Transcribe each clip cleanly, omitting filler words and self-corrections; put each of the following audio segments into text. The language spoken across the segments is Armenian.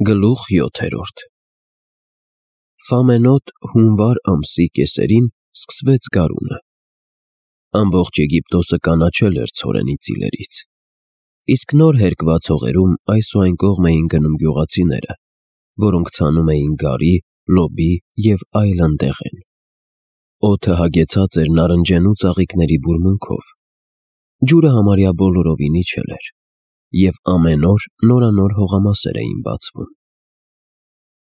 Գլուխ 7 Ֆամենոտ հունվար ամսի կեսերին սկսվեց գարունը։ Ամբողջ Եգիպտոսը կանաչել էր ցորենի ծիլերից, իսկ նոր հերկված հողերում այս ու այն կողմ էին գնում գյուղացիները, որոնք ցանում էին գարի, լոբի և այլն դեղեն։ Օդը հագեցած էր նարնջենու ծաղիկների բուրմունքով, ջուրը համարյա բոլորովին իջել էր, և ամեն օր նորանոր հողամասեր էին բացվում։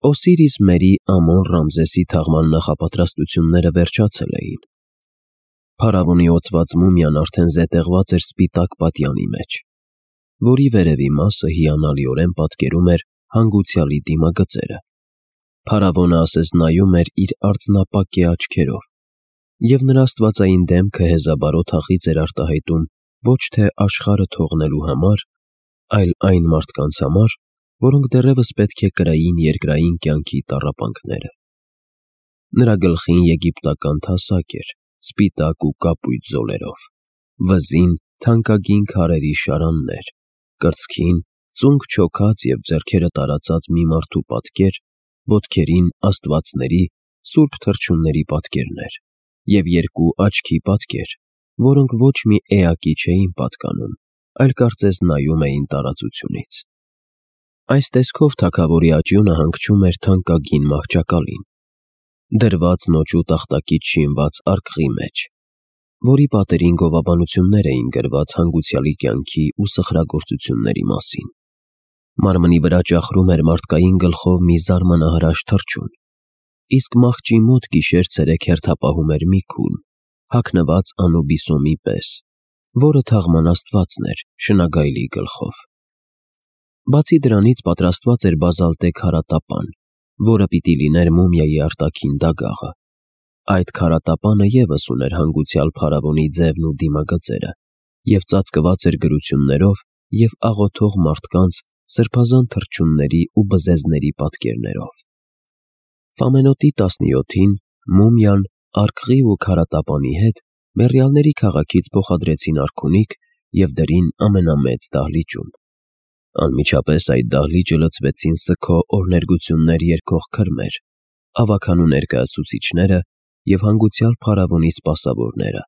Օսիրիս Մերի Ամոն Ռամզեսի թաղման նախապատրաստությունները վերջացել էին։ Փարավոնի օծված մումիան արդեն զետեղված էր սպիտակ պատյանի մեջ, որի վերևի մասը հիանալիորեն պատկերում էր հանգուցյալի դիմագծերը։ Փարավոնը ասես նայում էր իր արծնապակե աչքերով, և նրա աստվածային դեմքը հեզաբարո թախիծ էր արտահայտում ոչ թե աշխարհը թողնելու համար, այլ այն մարդկանց համար, որոնք դեռևս պետք է կրային երկրային կյանքի տառապանքները։ Նրա գլխին եգիպտական թասակ էր, սպիտակ ու կապույտ զոլերով, վզին թանկագին քարերի շարաններ, կրծքին ծունկ չոքած և ձեռքերը տարածած մի մարդու պատկեր, ոտքերին աստվածների, սուրբ թռչունների պատկերներ և երկու աչքի պատկեր, որոնք ոչ մի էակի չէին պատկանում, այլ կարծես նայում էին տարածությունից։ Այս տեսքով թագավորի աճյունը հանգչում էր թանկագին մահճակալին, դրված նոճու տախտակից շինված արկղի մեջ, որի պատերին գովաբանություններ էին գրված հանգուցյալի կյանքի ու սխրագործությունների մասին։ Մարմնի վրա ճախրում էր մարդկային գլխով մի զարմանահրաշ թռչուն, իսկ մահճի մոտ գիշեր-ցերեկ հերթապահում էր մի քույն, հագնված Անուբիսոմի պես, որը թաղման աստվածն էր շնագայլի գլխով։ Բացի դրանից պատրաստված էր բազալտե քարատապան, որը պիտի լիներ մումիայի արտաքին դագաղը։ Այդ քարատապանը ևս ուներ հանգուցյալ փարավոնի ձևն ու դիմագծերը և ծածկված էր գրություններով և աղոթող մարդկանց, սրբազան թռչունների ու բզեզների պատկերներով։ Ֆամենոտի 17-ին մումիան արկղի ու քարատապանի հետ մեռյալների քաղաքից փոխադրեցին արքունիք և դրին ամենամեծ դահլիճում։ Անմիջապես այդ դահլիճը լցվեցին սգո օրհներգություններ երգող քրմեր, ավագանու ներկայացուցիչները և հանգուցյալ փարավոնի սպասավորները։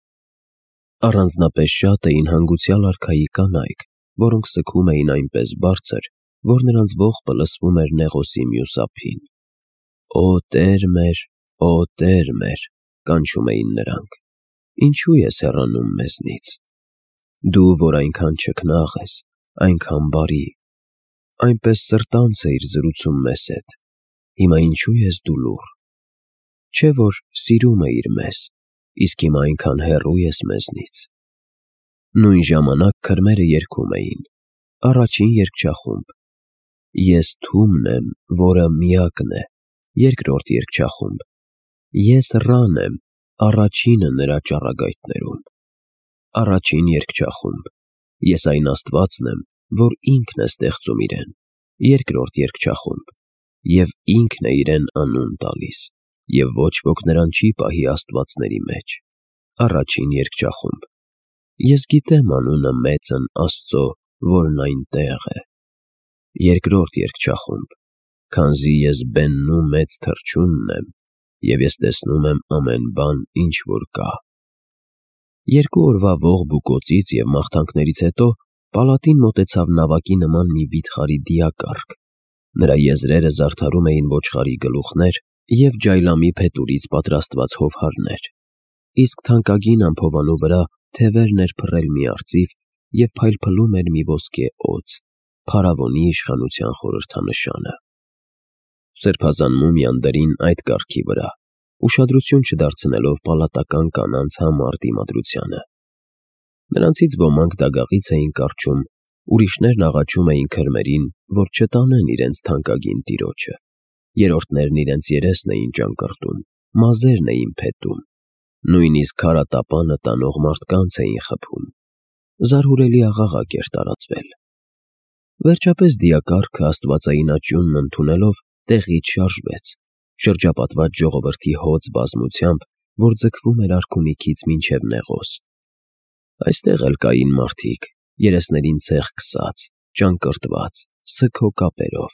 Առանձնապես շատ էին հանգուցյալ արքայի կանայք, որոնք սգում էին այնպես բարձր, որ նրանց ողբը լսվում էր Նեղոսի մյուս ափին։ «Օ Տեր մեր, Օ Տեր մեր», կանչում էին նրանք, ինչու ես հեռանում մեզնից։ Դու, որ այնքան չքնաղ ես, այնքան բարի, այնպես սրտանց էիր զրուցում մեզ հետ, հիմա ինչու ես դու լուռ։ Չէ՞ որ սիրում էիր մեզ, իսկ հիմա այնքան հեռու ես մեզնից։ Նույն ժամանակ քրմերը երգում էին, առաջին երգչախումբ. Ես Թումն եմ, որը միակն է, երկրորդ երգչախումբ. Ես Ռան եմ, առաջինը նրա ճառագայթներում, առաջին երգչախումբ. Ես այն աստվածն եմ, որ ինքն է ստեղծում իրեն, երկրորդ երգչախումբ. Եվ ինքն է իրեն անուն տալիս, և ոչ ոք նրան չի պահի աստվածների մեջ, առաջին երգչախումբ. Ես գիտեմ անունը մեծն Աստծո, որն այնտեղ է, երկրորդ երգչախումբ. Քանզի ես բենն ու մեծ թռչունն եմ, և ես տեսնում եմ ամեն բան, ինչ որ կա։ Երկու օրվա ողբ ու կոծից և մաղթանքներից հետո պալատին մոտեցավ նավակի նման մի վիթխարի դիակառք, նրա եզրերը զարդարում էին ոչխարի գլուխներ և ջայլամի փետուրից պատրաստված հովհարներ, իսկ թանկագին ամփոփանու վրա թևերն էր փռել մի արծիվ և փայլփլում էր մի ոսկե օձ, փարավոնի իշխանության խորհրդանշանը։ Սրբազան մումիան դրին այդ կառքի վրա, ուշադրություն չդարձնելով պալատական կանանց համառ դիմադրությանը։ Նրանցից ոմանք դագաղից էին կառչում, ուրիշներն աղաչում էին քրմերին, որ չտանեն իրենց թանկագին տիրոջը, երրորդներն իրենց երեսն էին ճանկռտում, մազերն էին փետում, նույնիսկ քարատապանը տանող մարդկանց էին խփում։ Զարհուրելի աղաղակ էր տարածվել։ Վերջապես դիակառքը աստվածային աճյունն ընդունելով տեղից շարժվեց, շրջապատված ժողովրդի հոծ բազմությամբ, որ ձգվում էր արքունիքից մինչև Նեղոս։ Այստեղ էլ կային մարդիկ, երեսներին ցեխ քսած, ճանկռտված, սգո կապերով,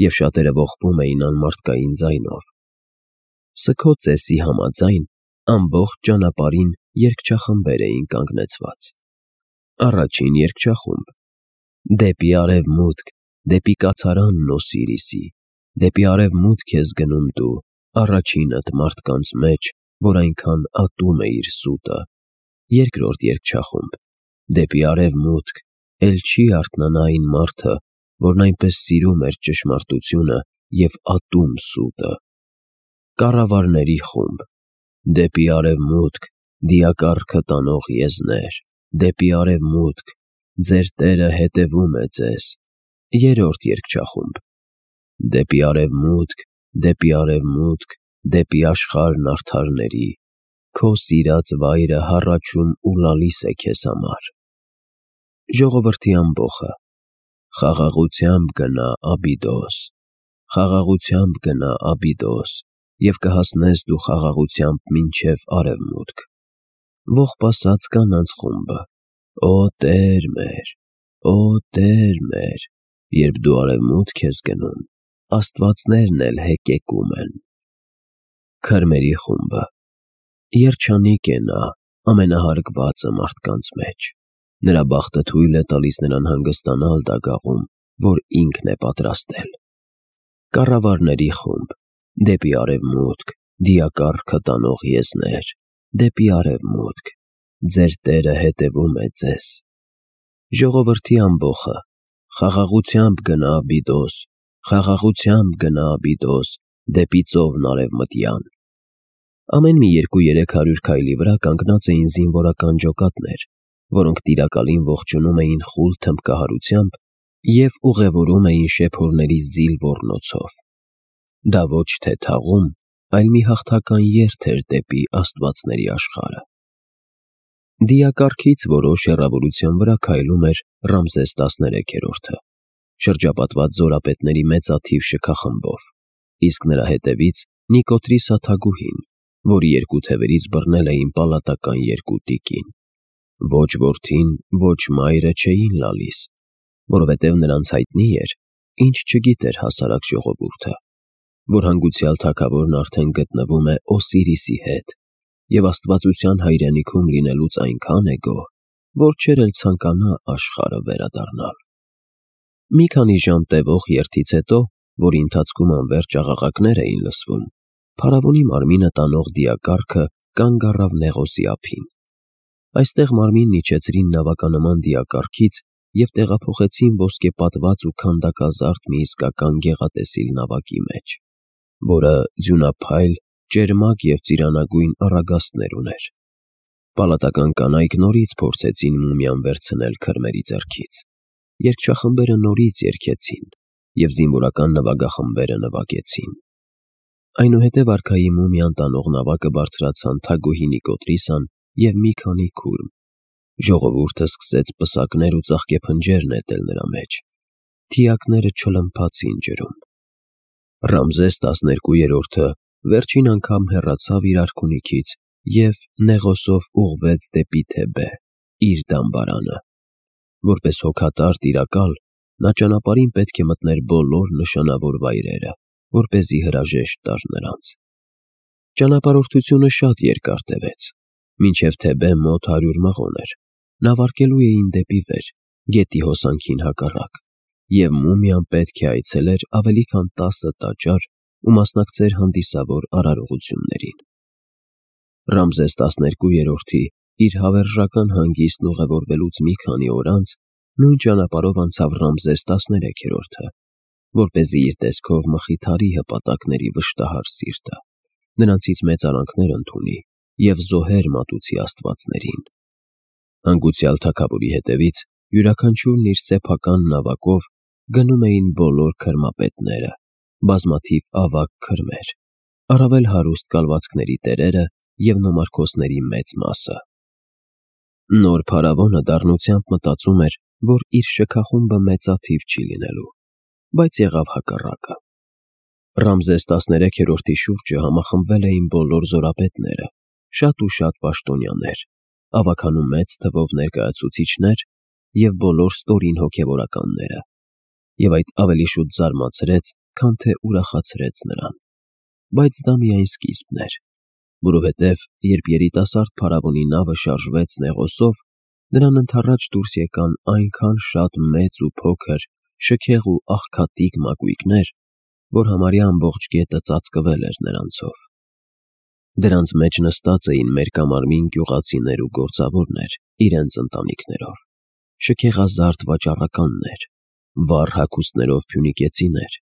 և շատերը ողբում էին անմարդկային ձայնով։ Սգո ծեսի համաձայն ամբողջ ճանապարհին երգչախմբեր էին կանգնեցված։ Առաջին երգչախումբ. Դեպի արևմուտք, դեպի կացարանն Օսիրիսի, դեպի արևմուտք ես գնում դու, առաջինդ մարդկանց մեջ, որ այնքան ատում է իր սուտը։ Երկրորդ երգչախումբ. Դեպի արևմուտք, էլ չի արթնանա այն մարդը, որն այնպես սիրում էր ճշմարտությունը և ատում սուտը։ Կառավարների խումբ. Դեպի արևմուտք, դիակառքը տանող եզներ, դեպի արևմուտք, ձեր Տերը հետևում է ձեզ։ Երրորդ երգչախումբ. Դեպի արևմուտք, դեպի արևմուտք, դեպի աշխարհն արդարների, քո սիրած վայրը հառաչում ու լալիս է քեզ համար։ Ժողովրդի ամբոխը. Խաղաղությամբ գնա Աբիդոս, խաղաղությամբ գնա Աբիդոս, և կհասնես դու խաղաղությամբ մինչև արևմուտք։ Ողբասած կանանց խումբը. Օ Տեր մեր, օ Տեր մեր, երբ դու արևմուտք ես գնում, աստվածներն էլ հեկեկում են։ Քրմերի խումբը. Երջանիկ է նա, ամենահարգվածը մարդկանց մեջ, նրա բախտը թույլ է տալիս նրան հանգստանալ դագաղում, որ ինքն է պատրաստել։ Կառավարների խումբ. Դեպի արևմուտք, դիակառքը տանող եզներ, դեպի արևմուտք, ձեր Տերը հետևում է ձեզ։ Ժողովրդի ամբոխը. Խաղաղությամբ գնա Աբիդոս, խաղաղությամբ գնա Աբիդոս, դեպի ծովն արևմտյան։ Ամեն մի 200-300 քայլի վրա կանգնած էին զինվորական ջոկատներ, որոնք տիրակալին ողջունում էին խուլ թմբկահարությամբ և ուղևորում էին շեփորների զիլ ոռնոցով։ Դա ոչ թե թաղում, այլ մի հաղթական երթ էր դեպի աստվածների աշխարհը։ Դիակառքից որոշ հեռավորության վրա քայլում էր Ռամզես 13-րդը, շրջապատված զորապետների մեծաթիվ շքախմբով, իսկ նրա հետևից Նիկոտրի սաթագուհին, որի երկու թևերից բռնել էին պալատական երկու տիկին։ Ոչ որդին, ոչ մայրը չէին լալիս, որովհետև նրանց հայտնի էր, ինչ չգիտեր հասարակ ժողովուրդը, որ հանգուցյալ թագավորն արդեն գտնվում է Օսիրիսի հետ և աստվածության հայրենիքում լինելուց այնքան է գոհ, որ չէր էլ ցանկանա աշխարհը վերադառնալ։ Մի քանի ժամ տևող երթից հետո, որի ընթացքում անվերջ աղաղակներ էին լսվում, փարավոնի մարմինը տանող դիակառքը կանգ առավ Նեղոսի ափին։ Այստեղ մարմինն իջեցրին նավականման դիակառքից և տեղափոխեցին ոսկեպատված ու քանդակազարդ մի իսկական գեղատեսիլ նավակի մեջ, որը ձյունափայլ, ճերմակ և ծիրանագույն առագաստներ ուներ։ Պալատական կանայք նորից փորձեցին մումիան վերցնել քրմերի ձեռքից։ Երգչախմբերը նորից երգեցին, և զինվորական նվագախմբերը նվագեցին։ Այնուհետև արքայի մումիան տանող նավակը բարձրացան թագուհի Նիկոտրիսան և մի քանի քուրմ։ Ժողովուրդը սկսեց պսակներ ու ծաղկեփնջեր նետել նրա մեջ։ Թիակները չլմփացին ջրում։ Ռամզես 12-րդը վերջին անգամ հեռացավ իր արքունիքից և Նեղոսով ուղղվեց դեպի Թեբե, իր դամբարանը։ Որպես հոգատար տիրակալ, նա ճանապարհին պետք է մտներ բոլոր նշանավոր վայրերը, որպեսզի հրաժեշտ տար նրանց։ Ճանապարհորդությունը շատ երկար տևեց, մինչև Թեբե մոտ 100 մղոն էր։ Նավարկելու էին դեպի վեր, գետի հոսանքին հակառակ, և մումիան պետք է այցելեր ավելի քան 10 տաճար ու մասնակցեր հանդիսավոր արարողություններին։ Ռամզես 12-րդի իր հավերժական հանգիստն ուղևորվելուց մի քանի օր անց նույն ճանապարհով անցավ Ռամզես 13-րդը, որպեսզի իր տեսքով մխիթարի հպատակների վշտահար սիրտը, նրանցից մեծ արանքներ ընդունի և զոհեր մատուցի աստվածներին։ Հանգուցյալ թագավորի հետևից յուրաքանչյուրն իր սեփական նավակով գնում էին բոլոր քրմապետները, բազմաթիվ ավագ քրմեր, առավել հարուստ կալվածքների տերերը և նոմարքոսների մեծ մասը։ Նոր փարավոնը դառնությամբ մտածում էր, որ իր շքախումբը մեծաթիվ չի լինելու, բայց եղավ հակառակը։ Ռամզես 13-րդի շուրջը համախմբվել էին բոլոր զորապետները, շատ ու շատ պաշտոնյաներ, ավագանու մեծ թվով ներկայացուցիչներ և բոլոր ստորին հոգևորականները, և այդ ավելի շուտ զարմացրեց, քան թե ուրախացրեց նրան։ Բայց դա միայն սկիզբն էր, որովհետև երբ երիտասարդ փարավոնի նավը շարժվեց Նեղոսով, նրան ընդառաջ դուրս եկան այնքան շատ մեծ ու փոքր, շքեղ ու աղքատիկ մակույկներ, որ համարյա ամբողջ գետը ծածկվել էր նրանցով։ Դրանց մեջ նստած էին մերկամարմին գյուղացիներ ու գործավորներ իրենց ընտանիքներով, շքեղազարդ վաճառականներ, վառ հագուստներով փյունիկեցիներ,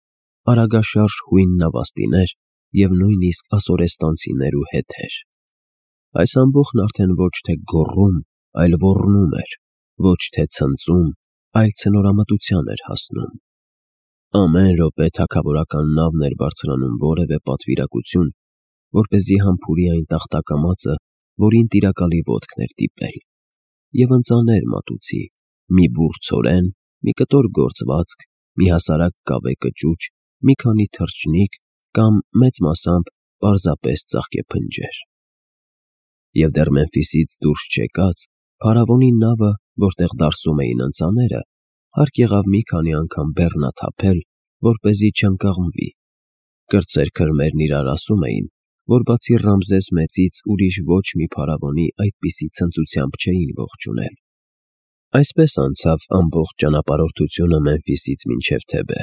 արագաշարժ հույն նավաստիներ և նույնիսկ ասորեստանցիներ ու հետեր։ Այս ամբոխն արդեն ոչ թե գոռում, այլ ոռնում էր, ոչ թե ցնծում, այլ ցնորամտության էր հասնում։ Ամեն րոպե թագավորական նավն էր բարձրանում որևէ պատվիրակություն, որպեսզի համբուրի այն տախտակամածը, որին տիրակալի ոտքն էր դիպել, և ընծաներ մատուցի մի բուռ ցորեն, մի կտոր գործվածք, մի հասարակ կավե կճուճ, մի քանի թռչնիկ կամ մեծ մասամբ պարզապես ծաղկեփնջեր։ Եվ դեռ Մեմֆիսից դուրս չեկած, փարավոնի նավը, որտեղ դարսում էին ընծաները, հարկ եղավ մի քանի անգամ բեռնաթափել, որպեսզի չընկղմվի։ Կրտսեր քրմերն իրար ասում էին, որ բացի Ռամզես մեծից ուրիշ ոչ մի փարավոնի այդպիսի ցնծությամբ չէին ողջունել։ Այսպես անցավ ամբողջ ճանապարհորդությունը Մեմֆիսից մինչև Թեբե,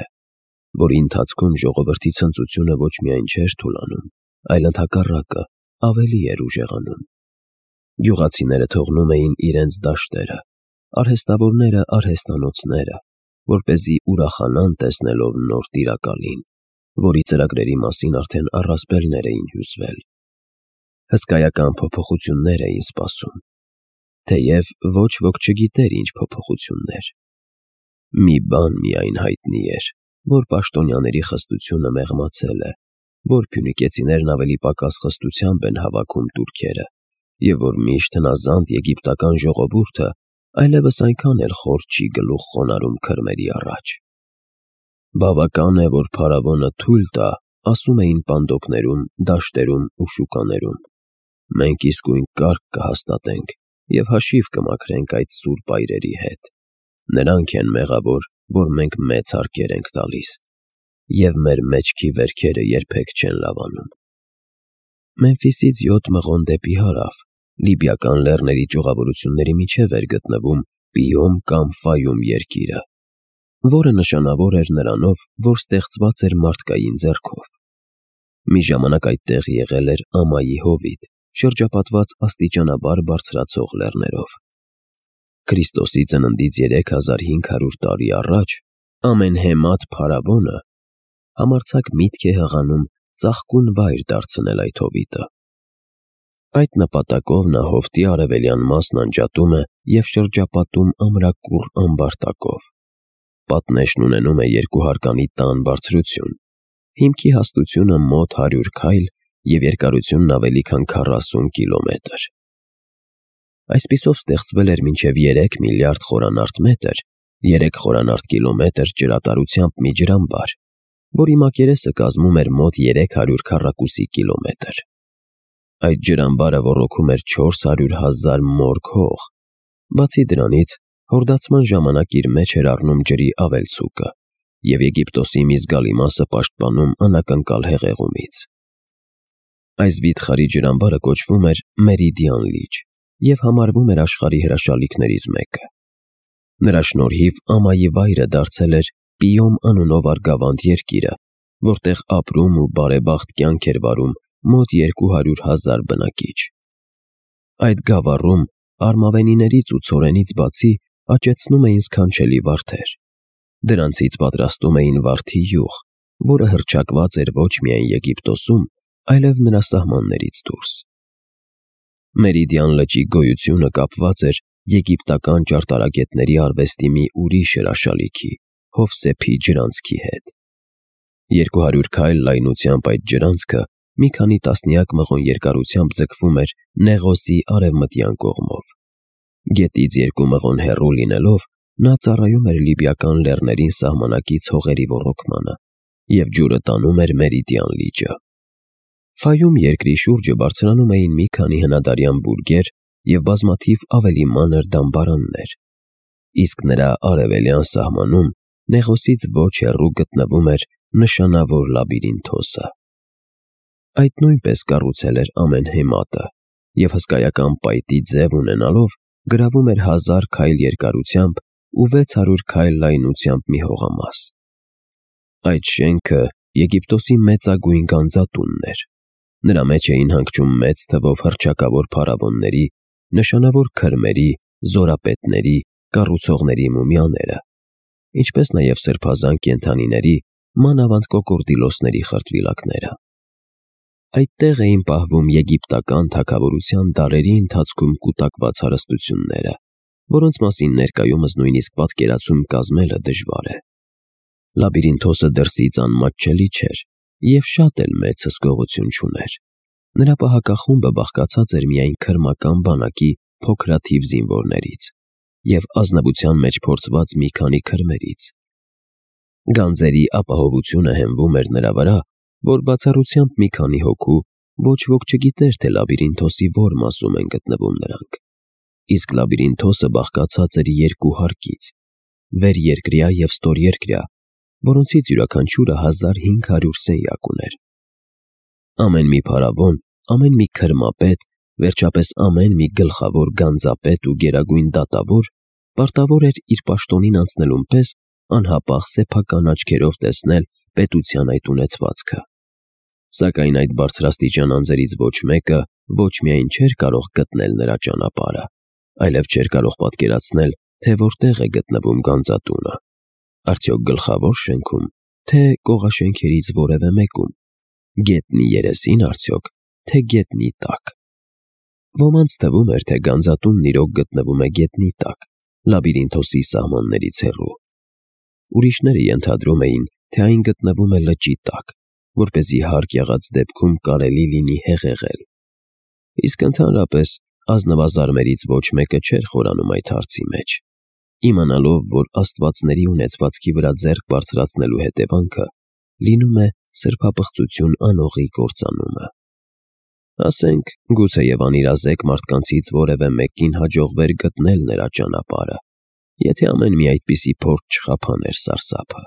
որի ընթացքում ժողովրդի ցնծությունը ոչ միայն չէր թուլանում, այլ ընդհակառակը ավելի էր ուժեղանում։ Գյուղացիները թողնում էին իրենց դաշտերը, արհեստավորները արհեստանոցները, որպեսզի ուրախանան տեսնելով նոր տիրակալին, որի ծրագրերի մասին արդեն առասպելներ էին հյուսվել։ Հսկայական փոփոխություններ էին սպասում, թեև ոչ ոք չգիտեր ինչ փոփոխություններ։ Մի բան միայն հայտնի էր, որ պաշտոնյաների խստությունը մեղմացել է, որ փյունիկեցիներն ավելի պակաս խստությամբ են հավաքում տուրքերը, և որ միշտ հնազանդ եգիպտական ժողովուրդը այլևս այնքան էլ խոր չի գլուխ խոնարհում քրմերի առաջ։ Բավական է, որ փարավոնը թույլ տա, ասում էին պանդոկներում, դաշտերում ու շուկաներում։ Մենք իսկույն կարգ կհաստատենք և հաշիվ կմաքրենք այդ սուրբ այրերի հետ։ Նրանք են մեղավոր, որ մենք մեծ հարկեր ենք տալիս, և մեր մեջքի վերքերը երբեք չեն լավանում։ Մեմֆիսից 7 մղոն դեպի հարավ, լիբիական լեռների ճյուղավորությունների միջև էր գտնվում Պիում կամ Ֆայում երկիրը, որը նշանավոր էր նրանով, որ ստեղծված էր մարդկային ձեռքով։ Մի ժամանակ այդտեղ եղել էր Ամայի հովիտ, շրջապատված աստիճանաբար բարձրացող լեռներով։ Քրիստոսի ծննդից 3500 տարի առաջ ամենհեմատ փարավոնը համարձակ միտք է հղանում ծաղկուն վայր դարձնել այդ հովիտը։ Այդ նպատակով նա հովտի արևելյան մասն անջատում է և շրջապատում ամրակուռ ամբարտակով։ Պատնեշն ունենում է 2 հարկանի տան բարձրություն, հիմքի հաստությունը մոտ 100 քայլ և երկարությունն ավելի քան 40 կիլոմետր։ Այսպիսով ստեղծվել էր մինչև 3 միլիարդ խորանարդ մետր, 3 խորանարդ կիլոմետր ջրատարությամբ մի ջրամբար, որի մակերեսը կազմում էր մոտ 300 քառակուսի կիլոմետր։ Այդ ջրամբարը ոռոգում էր 400,000 մորք հող։ Բացի դրանից, հորդացման ժամանակ իր մեջ էր առնում ջրի ավելցուկը և Եգիպտոսի մի զգալի մասը պաշտպանում անակնկալ հեղեղումից։ Այս վիթխարի ջրամբարը կոչվում էր Մերիդիան լիճ և համարվում էր աշխարհի հրաշալիքներից մեկը։ Նրա շնորհիվ Ամայի վայրը դարձել էր Պիում անունով արգավանդ երկիրը, որտեղ ապրում ու բարեբախտ կյանք էր վարում մոտ 200,000 բնակիչ։ Այդ գավառում արմավենիներից ու ցորենից բացի աճեցնում էին սքանչելի վարդեր։ Դրանցից պատրաստում էին վարդի յուղ, որը հռչակված էր ոչ միայն Եգիպտոսում, այլև նրա սահմաններից դուրս։ Մերիդիան լճի գոյությունը կապված էր եգիպտական ճարտարագետների արվեստի մի ուրիշ հրաշալիքի՝ Հովսեփի ջրանցքի հետ։ 200 քայլ լայնությամբ այդ ջրանցքը մի քանի տասնյակ մղոն երկարությամբ ձգվում էր Նեղոսի արևմտյան կողմով։ Գետից 2 մղոն հեռու լինելով, նա ծառայում էր լիբիական լեռներին սահմանակից հողերի ոռոգմանը և ջուրը տանում էր Մերիդիան լիճը։ Ֆայում երկրի շուրջը բարձրանում էին մի քանի հնադարյան բուրգեր և բազմաթիվ ավելի մանր դամբարաններ, իսկ նրա արևելյան սահմանում Նեղոսից ոչ հեռու գտնվում էր նշանավոր լաբիրինթոսը։ Այդ նույնպես կառուցել էր ամեն հեմատը և հսկայական պայտի ձև ունենալով գրավում էր 1000 քայլ երկարությամբ ու 600 քայլ լայնությամբ մի հողամաս։ Այդ շենքը Եգիպտոսի մեծագույն գանձատունն էր։ Նրա մեջ էին հանգչում մեծ թվով հռչակավոր փարավոնների, նշանավոր քրմերի, զորապետների, կառուցողների մումիաները, ինչպես նաև սրբազան կենդանիների, մանավանդ կոկորդիլոսների խրտվիլակները։ Այդտեղ էին պահվում եգիպտական թագավորության դարերի ընթացքում կուտակված հարստությունները, որոնց մասին ներկայումս նույնիսկ պատկերացում կազմելը դժվար է։ Լաբիրինթոսը դրսից անմատչելի չէր և շատ էլ մեծ հսկողություն չուներ։ Նրա պահակախումբը բաղկացած էր միայն քրմական բանակի փոքրաթիվ զինվորներից և ազնվության մեջ փորձված մի քանի քրմերից։ Գանձերի ապահովությունը հենվում էր նրա վրա, որ բացառությամբ մի քանի հոգու ոչ ոք չգիտեր, թե լաբիրինթոսի որ մասում են գտնվում նրանք։ Իսկ լաբիրինթոսը բաղկացած էր 2 հարկից՝ վերերկրյա և ստորերկրյա, որոնցից յուրաքանչյուրը 1500 սենյակ ուներ։ Ամեն մի փարավոն, ամեն մի քրմապետ, վերջապես ամեն մի գլխավոր գանձապետ ու գերագույն դատավոր պարտավոր էր իր պաշտոնին անցնելուն պես անհապաղ սեփական աչքերով տեսնել պետության այդ ունեցվածքը։ Սակայն այդ բարձրաստիճան անձերից ոչ մեկը ոչ միայն չէր կարող գտնել նրա ճանապարհը, այլև չէր կարող պատկերացնել, թե որտեղ է գտնվում գանձատունը, արդյոք գլխավոր շենքում, թե կողաշենքերից որևէ մեկում, գետնի երեսին արդյոք, թե գետնի տակ։ Ոմանց թվում էր, թե գանձատունն իրոք գտնվում է գետնի տակ, լաբիրինթոսի սահմաններից հեռու։ Ուրիշները ենթադրում էին, թե այն գտնվում է լճի տակ, որպեսզի հարկ եղած դեպքում կարելի լինի հեղեղել։ Իսկ ընդհանրապես ազնվազարմերից ոչ մեկը չէր խորանում այդ հարցի մեջ, իմանալով, որ աստվածների ունեցվածքի վրա ձեռք բարձրացնելու հետևանքը լինում է սրբապղծություն անողի կործանումը։ Ասենք, գուցեև անիրազեկ մարդկանցից որևէ մեկին հաջողվեր գտնել նրա ճանապարհը, եթե ամեն մի այդպիսի փորձ չխափաներ սարսափը։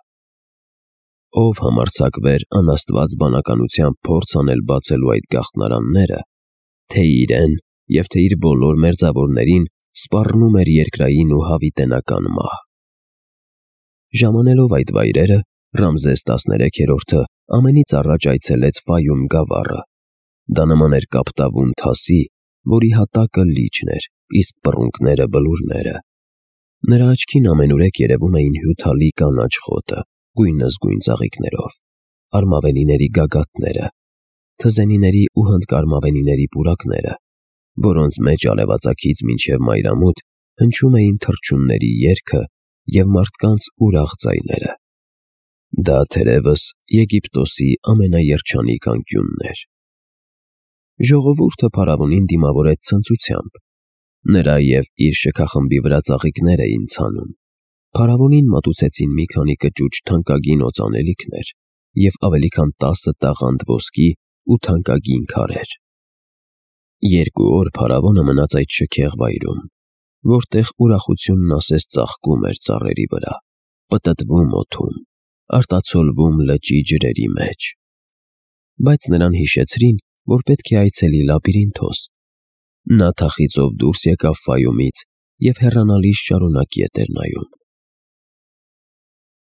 Ով համարձակվեր անաստված բանականությամբ փորձ անել բացելու այդ գաղտնարանները, թե իրեն և թե իր բոլոր մերձավորներին սպառնում էր երկրային ու հավիտենական մահ։ Ժամանելով այդ վայրերը, Ռամզես 13-րդը ամենից առաջ այցելեց Ֆայում գավառը։ Դա նման էր կապտավուն թասի, որի հատակը լիճն էր, իսկ պռունգները բլուրները։ Նրա աչքին ամենուրեք երևում էին հյութալի կանաչ խոտը, գույնզգույն ծաղիկներով, արմավենիների գագաթները, թզենիների ու հնդկարմավենիների պուրակները, որոնց մեջ արևածագից մինչև մայրամուտ հնչում էին թռչունների երգը և մարդկանց ուրախ ձայները։ Դա թերևս Եգիպտոսի ամենաերջանիկ անկյունն էր։ Ժողովուրդը փարավոնին դիմավորեց ցնծությամբ։ Նրա և իր շքախմբի վրա ծաղիկներ էին ցանում։ Փարավոնին մատուցեցին մի քանի կճուճ թանկագին օծանելիքներ և ավելի քան 10 տաղանդ ոսկի ու թանկագին քարեր։ 2 օր փարավոնը մնաց այդ շքեղ վայրում, որտեղ ուրախությունն ասես ծաղկում էր ծառերի վրա, պտտվում օդում, արտացոլվում լճի ջրերի մեջ։ Բայց նրան հիշեցրին, որ պետք է այցելի լաբիրինթոս։ Նա թախիծով դուրս եկավ Ֆայումից և հեռանալիս շարունակ ետ էր նայում։